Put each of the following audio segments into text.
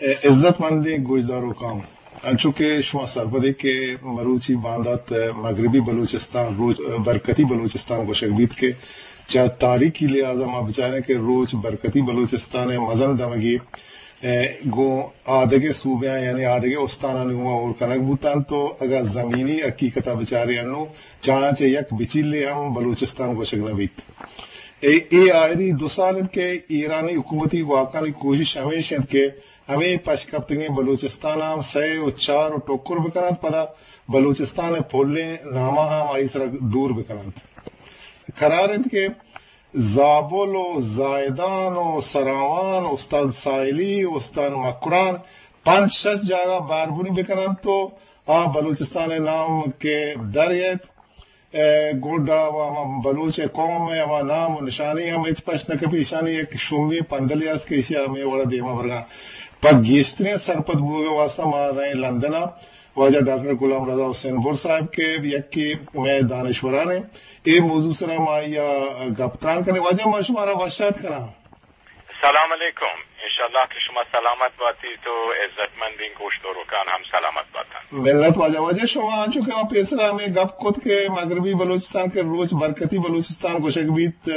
عزت مندیں گوشداروکاں، انچو کہ شما سرپدے کہ مروچی باندات مغربی بلوچستان، روچ برکتی بلوچستان گوشگ بیت کہ چہ تاریخی لحاظ ءَ ما بچاریں کہ روچ برکتی بلوچستان ءِ مزن دمگے، اے، گوں آدگہ صوبیاں یعنی آدگہ استانانی گوما ہور کنگ بوتنت و اگاں زمینی حقیقت ءَ بچاریں انوں چہ آیاں چہ یک بچیلے ہم بلوچستان گوشگ نہ بیت۔ اے، اے آئری دو سال انت کہ ایرانی حکومتی گواکانی کوشش ہمیش انت کہ ہمے پشکپتگیں بلوچستان ءَ ہم سئے و چار و ٹکر بکننت، پدا بلوچستان ءِ پلیں ناماں ہم آئی سرا دور بکننت۔ قرار انت کہ زابل و زاہدان و سراوان، استان ساحلی، استان مکران، پنچ شش جاگہ باربری بکننت و آ بلوچستان ءِ نام کہ در یت، اے، گڈا و ہما بلوچ ءِ قوم ءِ ہما نام و نشانی ہم ہچ پشت نہ کپی۔ ایشانی یک شومیں پندلے است کہ ایشی ءَ ہمے وڑا دیما برگا۔ پہ گیشتریں سرپد بوگ ءِ واسطہ ما رئیں لندن ءَ واجہ ڈاکٹر غلام رضا حسین بر صاحب کہ یکے مئے دانشوران انت۔ اے موضوع سرا ما آئی ءَ گپ تران کنیں۔ واجہ، ما شمارا وش آت کناں۔ سلام علیکم۔ انشاءاللہ کہ شما سلامت باتیت و عزتمندیں گوشداروکان ہم سلامت باتنت۔ منت واجہ۔ واجہ، شما انچو کہ ما پیسرا ہمے گپ کت کہ مغربی بلوچستان کہ روچ برکتی بلوچستان گوشگ بیت،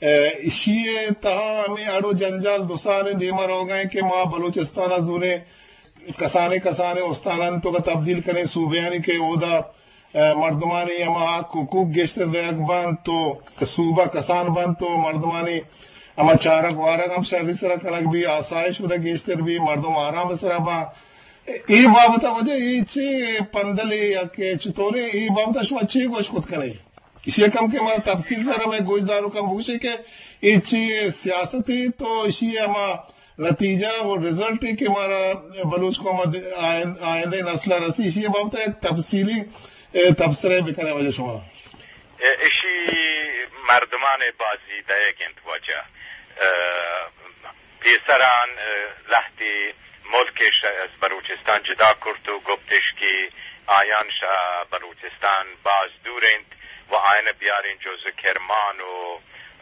اے، ایشی ءِ تہا ہمے اڑ و جنجال دو سال دیما روگا انت کہ ما بلوچستان ءَ زوریں کسانیں کسانیں استانانی توکا تبدیل کنیں، صوبیانی کہ اودا، اے، مردمانی ہما حق حقوق گیشتر دیگ بنت و صوبہ کسان بنت و مردمانی ہما چارگ وارگ ہم شری سرا کنگ بی، آسائش اودا گیشتر بی، مردم آرام سرا باں۔ اے بابت ءَ واجہ اے چے پندلے یا کہ چطوریں، اے بابت ءَ شما چے گوش کت کنے؟ ایشی ءَ کم کہ ما تفصیل سرا مئے گوشداروکاں بگوشے کہ اے چی سیاستے تو ایشی ءِ ہما نتیجہ و رزلٹ کہ مارا بلوچ قوم ءَ آئند-، آئندہ نسل ءَ رسی، ایشی ءِ بابت ءَ یک تفصیلی، اے، تبصرہ بکنے واجہ شما۔ اے، ایشی مردمان بازی دئیگ انت واجہ۔ اے، پیسران، اے، لہتے ملکش از بلوچستان جدا کرت و گپتش کہ آیان شہ بلوچستان باز دور انت و آیان بیارین جز کرمان و،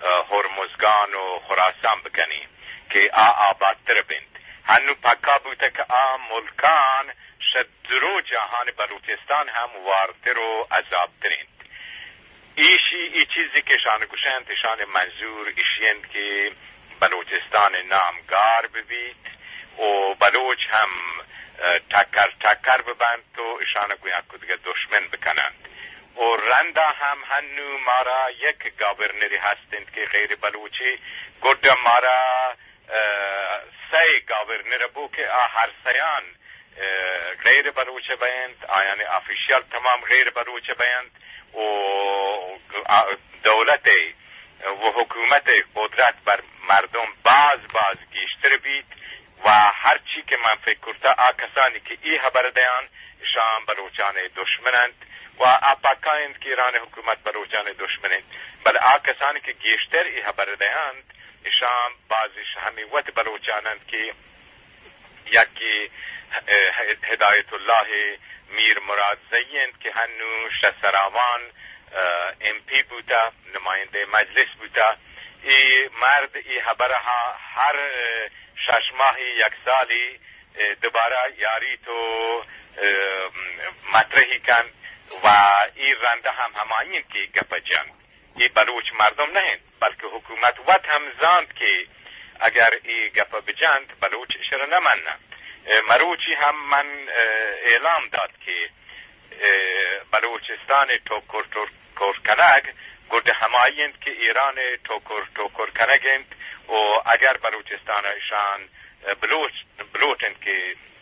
اے، ہرمزگان و خراسان بکنین کہ آ آبادتر بنت۔ ہنو پکا بوتہ کہ آ ملکان شہ درو جاہان بلوچستان ہم وارتر و عذابتر انت۔ ایشی، ای چیزی کہ اشان گوشنت، اشان منظور ایشی انت کہ بلوچستان نام گار ببیت و بلوچ ہم، اے، ٹکر ٹکر ببنت و اشان گوں یک دگہ دشمن بکننت۔ و رندا ہم ہنو مارا یک گورنری ہست انت کہ غیر بلوچی، گڈا مارا، اے، سئے گورنر بو کہ آ ہر سیان اے، غیر بلوچ بینت، آیان آفیشل تمام غیر بلوچ بینت و آ، دولت و حکومت قدرت بر مردم باز باز گیشتر بیت و ہرچی کہ من فکر کرتا آ کسانی کہ ای حبر دیان اشان بلوچان دشمن انت و آ پکا انت کہ ایران حکومت بلوچان دشمن انت، بل آ کسانی کہ گیشتر ای حبر دیانت اشان بازش ہمی وت بلوچان انت کہ یکے، اے، ہدایت اللہ میر مراد زئی انت کہ ہنو شہ سراوان، اے، ایم پی بوتا، نمائندہ مجلس بوتا۔ ای مرد ای حبرہ ہر، اے، شش ماہی یک سالی، اے، دوبارہ یاری تو، اے، مطرحی کن و ای رندہ ہم ہمائی انت کہ گپ جنت۔ اے بلوچ مردم نہ انت، بلکہ حکومت وت ہم زانت کہ اگر اے گپ بجنت، بلوچ اشرا نہ مننت۔ اے، مروچی ہم من، اے، اعلام دات کہ، اے، بلوچستان ٹوکر ٹوکر کنگ گڈ ہمائی انت کہ ایران ٹوکر ٹوکر کنگ انت و اگر بلوچستان اشان، اے، بلوچ، بلوٹ انت کہ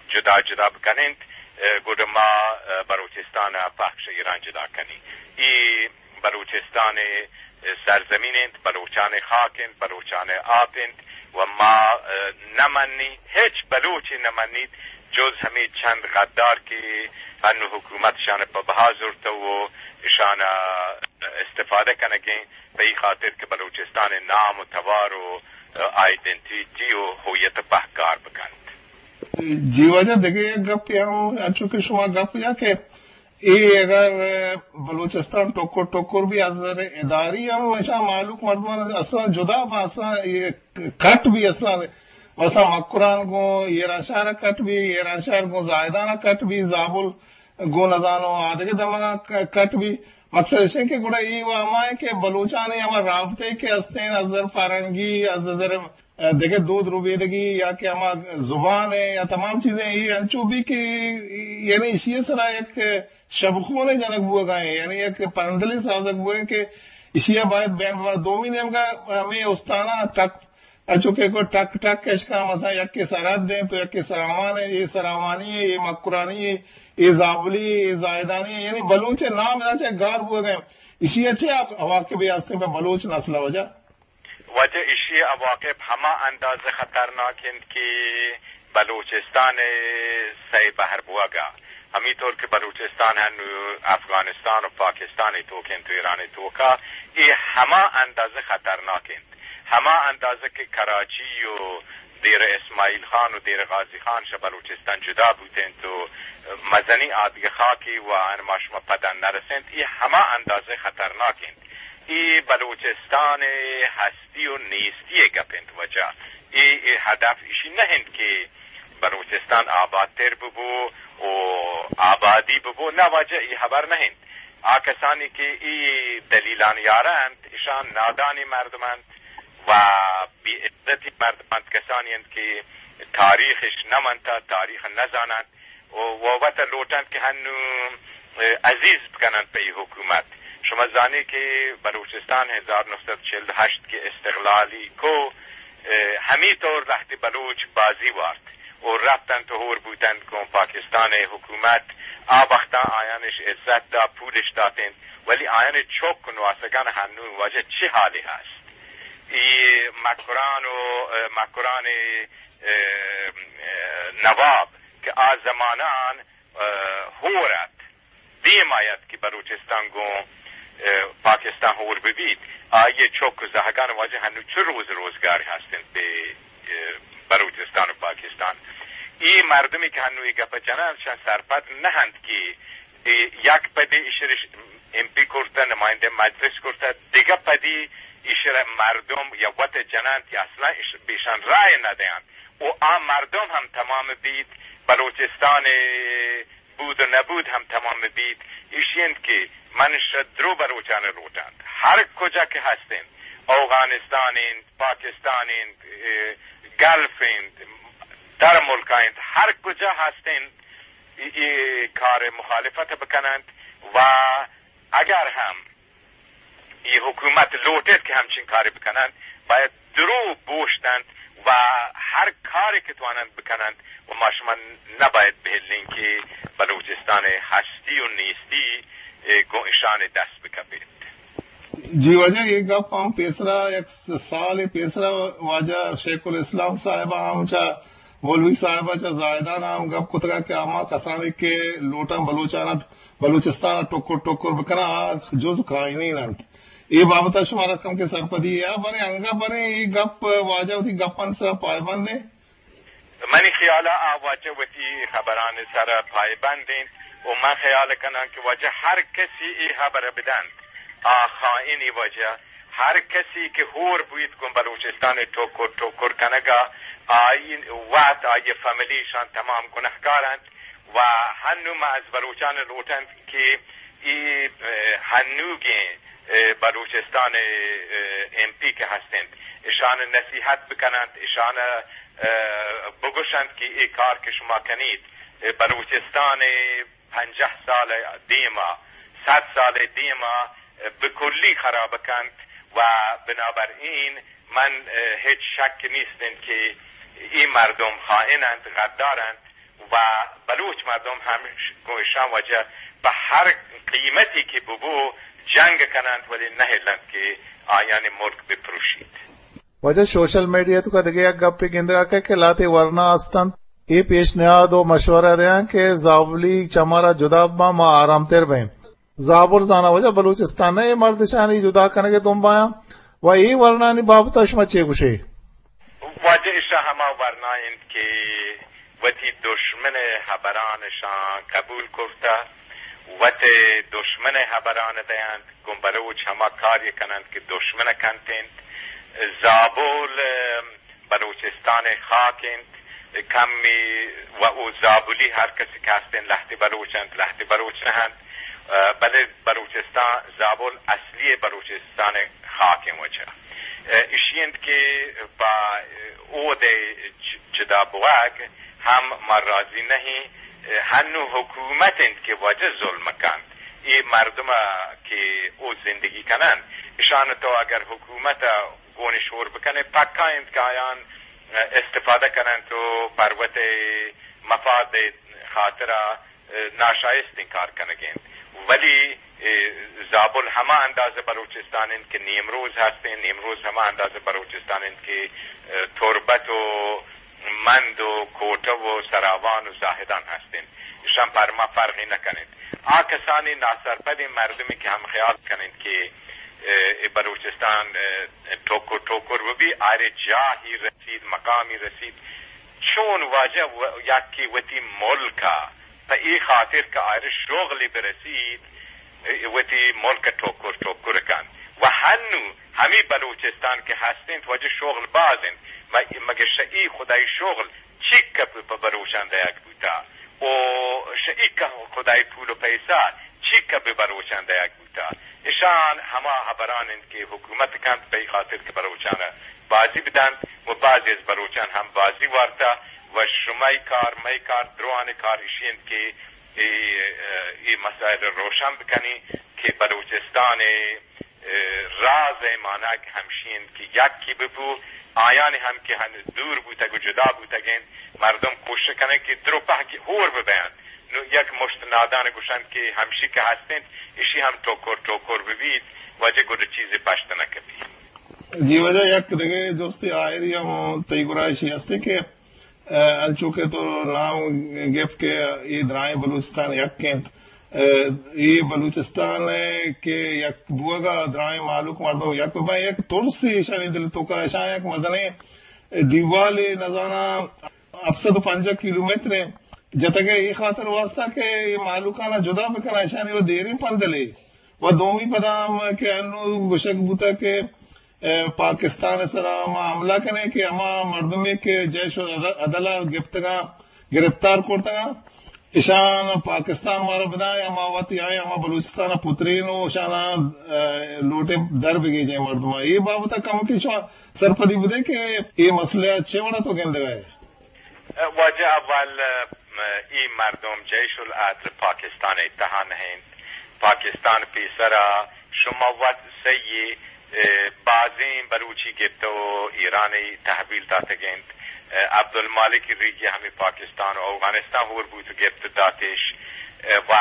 جدا جدا بکننت، اے، گڈ ما، اے، بلوچستان پخش ایران جدا کنی۔ ای بلوچستان ء سرزمین انت، بلوچان ء خاک انت، بلوچان ء آپ انت و ما، ء، نہ منی، ہچ بلوچے نہ منیت، جز ہمے چند غدار کہ انو حکومت شان پہ بہا زرتہ و اشان استفادہ کنگیں، پہ ای خاطر کہ بلوچستان ء نام و توار و، ء، آئیڈنٹیٹی و ہویت پہکار بکنت۔ جی واجہ، دگہ یک گپے ہم، انچو کہ شما گپ جا کہ اے اگر بلوچستان ٹکر ٹکر بی از نظر اداری ہم اشاں مہلوک مردمان اصلاً جدا با، اصلاً اے کٹ بی، اصلاً بس مکران گوں ایرانشہر ءَ کٹ بی، ایرانشہر گوں زاہدان ءَ کٹ بی، زابل گوں نزانو آدگہ دمگاں ک-، کٹ بی۔ مقصد اش انت کہ گڑا اے و ہما انت کہ بلوچانی ہما رابطے کہ ہستیں از نظر فرہنگی، از نظر، ءَ، دگہ دود ربیدگی یا کہ ہما زبان ءَ یا تمام چیزیں اے انچو بی کہ یعنی ایشی ءِ سرا یک شبخونے جنگ بوگا ایں، یعنی یک پندلے سازگ بوگا ایں کہ ایشی ءَ باید بین ببر۔ دومی نیمگا ہمے استاناں ٹک انچو کہ گوں ٹک ٹک اشکاں مثلاً یکے سرحد انت و یکے سراوان انت، اے سراوانی انت، اے مکرانی انت، اے زابلی انت، اے زاہدانی انت، یعنی بلوچ ءِ نام ادا چہ گار بوگ ءَ انت۔ ایشی ءَ چہ عواقبے ہستیں پہ بلوچ نسل ءَ واجہ؟ واجہ، ایشی ءِ عواقب ہما اندازہ خطرناک انت کہ بلوچستان ءِ سئے بہر بوگ ءَ، ہمے طور کہ بلوچستان ہنو افغانستان و پاکستان ءِ توک انت و ایران ءِ توکا، اے ہما اندازہ خطرناک انت۔ ہما اندازہ کہ کراچی و دیر اسماعیل خان و دیر غازی خان شہ بلوچستان جدا بوت انت و مزنیں آدگہ خاکے و آن ما شما پدا نرس انت، اے ہما اندازہ خطرناک انت۔ اے بلوچستان ءِ ہستی و نیستی ءِ گپ انت واجہ۔ اے، اے ہدف ایشی نہ انت کہ بلوچستان آبادتر ببو و آبادی ببو۔ نہ واجہ، اے ہبر نہ انت۔ آ کسانی کہ اے دلیلان یارا انت، اشان نادانی مردم انت و بے عزتی مردم انت، کسانی انت کہ تاریخش نہ منتا، تاریخ نہ زاننت و، و وت لوٹنت کہ ہنو، اه، عزیز بکننت پہ اے حکومت۔ شما زانی کہ بلوچستان ہزار نو سد چل ہشت کہ استقلالی کو، اه، ہمی طور لہتے بلوچ بازی وارت و رفتنت و ہور بوتنت گوں پاکستان ءِ حکومت۔ آ وختاں آیانش عزت دا، پولش داتنت، ولی آیان چک و نواسگان ہنو واجہ چی حالی ہست؟ اے مکران و، اه، مکران، اه، اه، نواب کہ آ زمانان، اه، ہور ات، دیم آیت کہ بلوچستان گوں، اه، پاکستان ہور ببیت، آئی چک و زہگان واجہ ہنو چہ روز روزگار ہستنت بہ، اه، بلوچستان و پاکستان۔ اے مردمی کہ ہنو اے گپ جنن، شان سرپد نہ انت کہ اے یک پدی ایشرا ایم پی کرتہ، نمائندہ مجلس کرتہ، دگہ پدی ایشرا مردم یا وت جننت یا اصلاً ایش-، بیشان رائے ندینت۔ و آ مردم ہم تمام بیت، بلوچستان ءِ بود و نبود ہم تمام بیت۔ ایشی انت کہ من شہ درو بلوچان لوٹنت، ہر کجا کہ ہستنت، اوغانستان انت، پاکستان انت، اے، گلف انت، در ملکا انت، ہر کجا ہستنت، اے، اے کار مخالفت بکننت و اگر ہم اے حکومت لوٹیت کہ ہمچین کارے بکننت، باید درو بوشتنت و ہر کارے کہ تواننت بکننت و ما شما نباید بہلین کہ بلوچستان ءِ ہستی و نیستی، اے، گوں اشان دست بکپیت۔ جی واجہ، اے گپ ہم پیسرا یک سالے پیسرا واجہ شیخ الاسلام صاحب ہم چہ مولوی صاحب ءَ چہ زاہدان ءَ ہم گپ کتگ کہ ہما کسانی کہ لوٹاں بلوچان ءَ، بلوچستان ءَ ٹکر ٹکر بکناں، آ جز خائنین انت۔ اے بابت ءَ شمارا کمکے سرپدی اے، بلے انگہ بلے اے گپ واجہ وتی گپانی سرا پائبند انت۔ منی خیال ءَ آ واجہ وتی ہبرانی سرا پائبند انت و من خیال کناں کہ واجہ ہر کسی اے ہبر بدنت، آ خائنی واجہ۔ ہر کسی کہ ہور بویت گوں بلوچستان ءَ ٹکر ٹکر کنگا، آئی وت، آئی فیملی، شان تمام گنہکار انت و ہنو ما از بلوچان لوٹنت کہ اے، اه، ہنوگیں، اه، بلوچستان ءِ، اه، ایم پی کہ ہستنت، اشان نصیحت بکننت، اشان، اه، بگوشنت کہ اے کار کہ شما کنیت، اه، بلوچستان ءِ پنجاہ سال ءِ دیما، صد سال ءِ دیما، اه، بکلی خراب کنت و بنابراین من، اه، ہچ شک نیست انت کہ اے مردم خائن انت، غدار انت و بلوچ مردم ہم ش-، گوں اشان واجہ پہ ہر قیمتی کہ ببو جنگ کننت، ولی نہ ہلنت کہ آیانی ملک بپروشیت۔ واجہ، سوشل میڈیا توکا دگہ یک گپے گندگا کئیت کہ لہتے ورنا ہستنت، اے پیشنہاد و مشورہ دیاں کہ زابلی چہ مارا جدا بباں، ما آرامتر بئیں۔ زابل زاناں واجہ بلوچستان ءَ اے مردشانی جدا کنگ ءِ دمبایاں و اے ورنانی بابت ءَ شما چے گوشے؟ واجہ، اشاں ہما ورنا انت کہ وتی دشمن ءِ ہبران اشاں قبول کرتہ، وت دشمن ءِ ہبران دینت، گوں بلوچ ہما کاری کننت کہ دشمن کنت انت۔ زابل، ام، بلوچستان ءِ خاک اِنت، کمی و او زابلی ہر کسی کہ ہست اِنت، لہتے بلوچ اَنت، لہتے بلوچ نہ اَنت، ءُ بلے بلوچستان زابل اصلی بلوچستان ءِ خاک اِنت وجہ۔ ءُ ایشی اِنت کہ پہ اود ءِ چ-، چدا بوگ ہم ما راضی نہ ایں، ہنو حکومت اِنت کہ وجہ ظلم کنت۔ اے مردم کہ او زندگی کنن، اشان تو اگر حکومت گون شور بکنے، پکا اِنت کہ آیان استفادہ کننت و پروت مفاد خاطرا ناشائستیں کار کنگ اِنت۔ ولی زابل ہما اندازہ بلوچستان اِنت کہ نیمروز ہست اِنت، نیمروز ہما اندازہ بلوچستان اِنت کہ تربت و مند و کوٹہ و سراوان و زاہدان ہست اِنت۔ اشان پر ما فرقی نہ کن اَنت۔ آ کسانی ناسرپدیں مردمی کہ ہم خیال کن اَنت کہ، ءُ، اے بلوچستان، ءُ، ٹوکر ٹوکر بہ بی، آرے جاہی رسیت، مقامی رسیت، چون واجہ و-، یکے وتی ملک ءَ پہ اے خاطر کہ آرے شغلی برسیت، وتی ملک ءَ ٹوکر ٹوکر کنت۔ و ہنو ہمی بلوچستان کہ ہست اِنت، واجہ شغل باز اِنت، م-، مگہ شہ اے خدائی شغل چیک پہ بلوچان دئیگ بوتا؟ و شہ اے خدائی پول و پیسہ چیک پہ بلوچان دئیگ بوتا؟ اشان ہما ہبران اِنت کہ حکومت کنت پہ اے خاطر کہ بلوچان بازی بدنت و بعضی از بلوچان ہم بازی وارتا۔ و شمئی کار، مئی کار، دروان کار اشی اِنت کہ اے، اے مسائل روشن بکنی کہ بلوچستان ءِ، ءُ، راز ءِ مانگ ہمشی اِنت کہ یکے ببو، آیانی ہم کہ ہن دور بوتگ و جدا بوتگ اَنت، مردم کوشش کنگ کہ درو پہک ہور ببیانت۔ نو یک مشت نادان گوشنت کہ ہمشی کہ ہست اِنت، اشی ہم ٹوکر ٹوکر ببیت، واجہ گڈ چیزے پشت نہ کپیت۔ جی واجہ، یک دگہ جستے آئری ہم تئی گورا اشی ہست کہ ءُ، انچو کہ تو نام گپت کہ اے درائیں بلوچستان یک اِنت، ءُ، اے بلوچستان ءِ کہ یک بوگ ءَ درائیں مہلوک مردم یک بہ بئیں، یک ترسے ایشانی دل ءِ توکا، ایشاں یک مزنیں دیوالے نزاناں ہپت سد و پنجاہ کیلومتر ءِ جتگ ءَ اے خاطر واسطہ کہ اے مہلوکاں جدا بکناں، ایشانی و دیریں پندلے۔ و دومی پدا ہم کہ انو گوشگ بوتگ کہ، ءُ، پاکستان ءِ سرا ما حملہ کنیں کہ ہما مردمے کہ جیش العدل ءَ گپتگاں، گرفتار کرتگاں، اشان پاکستان مارا بداں یا ما وت آیاں ہما بلوچستان ءَ پترین و اشاناں، ءُ، لوٹیں در بگیجیں مردماں۔ اے بابت ءَ کمکے شما سرپدی بدے کہ اے مسئلہ ءَ چے وڑا تو گندگ ءَ ئے؟ واجہ اول، ءُ، اے مردم جیش العدل پاکستان ءِ تہا نہ اِنت۔ پاکستان پیسرا شما وت سہی، ءُ، بازیں بلوچی گپت و ایران ءَ تحویل داتگ اَنت۔ ءُ، عبدالمالک ریگی ہمے پاکستان و اوغانستان ہور بوت و گپت داتش۔ ءُ، و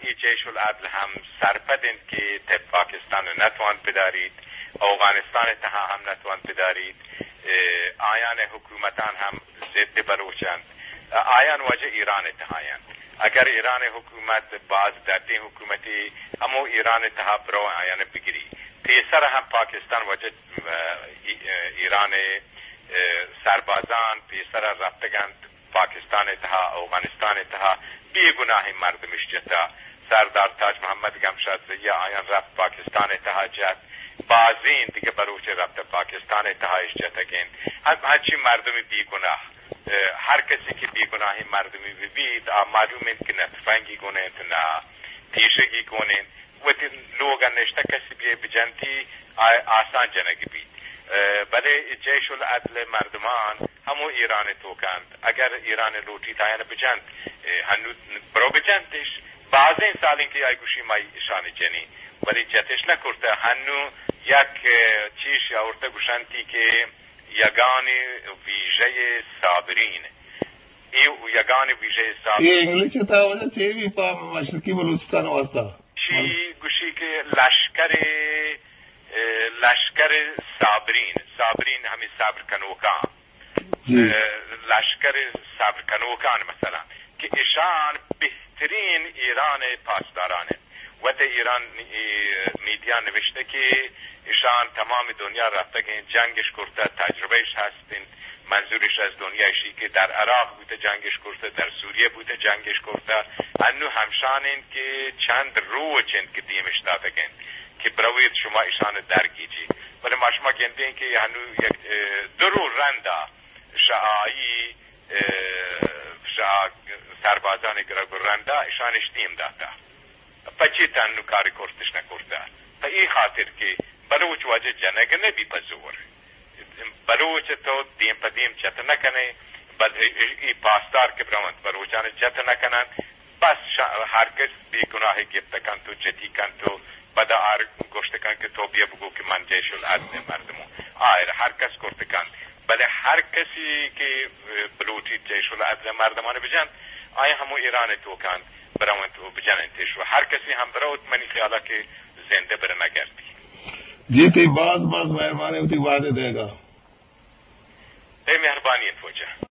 اے جیش العدل ہم سرپد اَنت کہ تہ پاکستان نتوانت بداریت، اوغانستان تہا ہم نتوانت بداریت۔ ءُ، آیان حکومتان ہم ضد بلوچ اَنت۔ ءُ، آیان واجہ ایران تہا اَنت۔ اگر ایران حکومت باز دردیں حکومتے، ہمو ایران تہا برو آیان بگری۔ پیسر ہم پاکستان واجہ، ءُ، ای-، ایران، ءُ، سربازان پیسر رفتگ اَنت پاکستان تہا، اوغانستان تہا بے گناہیں مردمش جتا۔ سردار تاج محمد گمشاد زئی آیان رفت پاکستان تہا جت۔ بازیں دگہ بلوچ رفت پاکستان تہا اش جتگ اَنت۔ ہم-، ہنچی مردمی بے گناہ، ءُ، ہر کسی کہ بے گناہیں مردمی بہ بیت، آ معلوم اَنت کہ نہ تفنگی گون اَنت، نہ پیشگی گون اَنت۔ وتی لوگ ءَ نشتہ کسی بہ بجنتی آ-، آسان جنگ بیت۔ ءُ، بلے جیش العدل مردمان ہمو ایران توک اَنت۔ اگر ایران لوٹیت آیان بجنت، ءُ، ہنو برو بجنتش۔ بازیں سالیں کہ آئی گوشی ما اشانی جنی، ولی جتش نہ کرتہ۔ ہنو یک، ءُ، چیش آورتہ گوشنتی کہ یگان ویژهٔ صابرین۔ اے یگان ویژهٔ اے صابرین۔ انگلش ءِ تہا واجہ چے بی پہ مشرقی بلوچستان واسطہ؟ شی گوشی کہ لشکر، ءُ، لشکر صابرین، صابرین ہمے صبر کنوکاں۔ جی۔ ءُ، لشکر صبر کنوکان مثلاً کہ اشان بہترین ایران پاسداران اَنت۔ وت ایران، ای، میڈیا نوشتہ کہ اشان تمام دنیا رفتگ اَنت، جنگش کرتہ، تجربہ اش ہست اِنت۔ منظورش از دنیا اشی کہ در عراق بوتہ جنگش کرتہ، در سوریہ بوتہ جنگش کرتہ۔ انو ہمشان اَنت کہ چند روچ اَنت کہ دیمش داتگ اَنت۔ کہ برویت شما ایشان درگیجی. بلے ما شما گندیں کہ ہنو یک، اه، درو رندا شہ آئی، اه، شہ سربازانی گرگ و رندا ایشان اشتیم داتا. پچی تنو کاری کرتش نکرتا؟ پہ ای خاطر کہ بلوچ واجہ جنگ نبی پہ زور. بلوچ تو دیم پہ دیم جت نہ کنے، بل ای، ای، ای پاسدار کہ برونت بلوچان جت نہ کنن، بس شا-، ہر کس بے گناہ گپت کنت و جتی کنت و پدا آر گوشت کنت کہ تو بیا بگو کہ من جیش العدل مردموں. آئر ہر کس کرت کنت، بلے ہر کسی کہ بلوٹی جیش العدل مردمان بجنت، آئی ہمو ایران تو کنت، برونت و بجننتش و ہر کسی ہم بروت، منی خیالا کہ زندہ بر نگردی. جی، تئی باز باز مہربانی وتی وعدے دیگا. تئی مہربانی انت واجہ.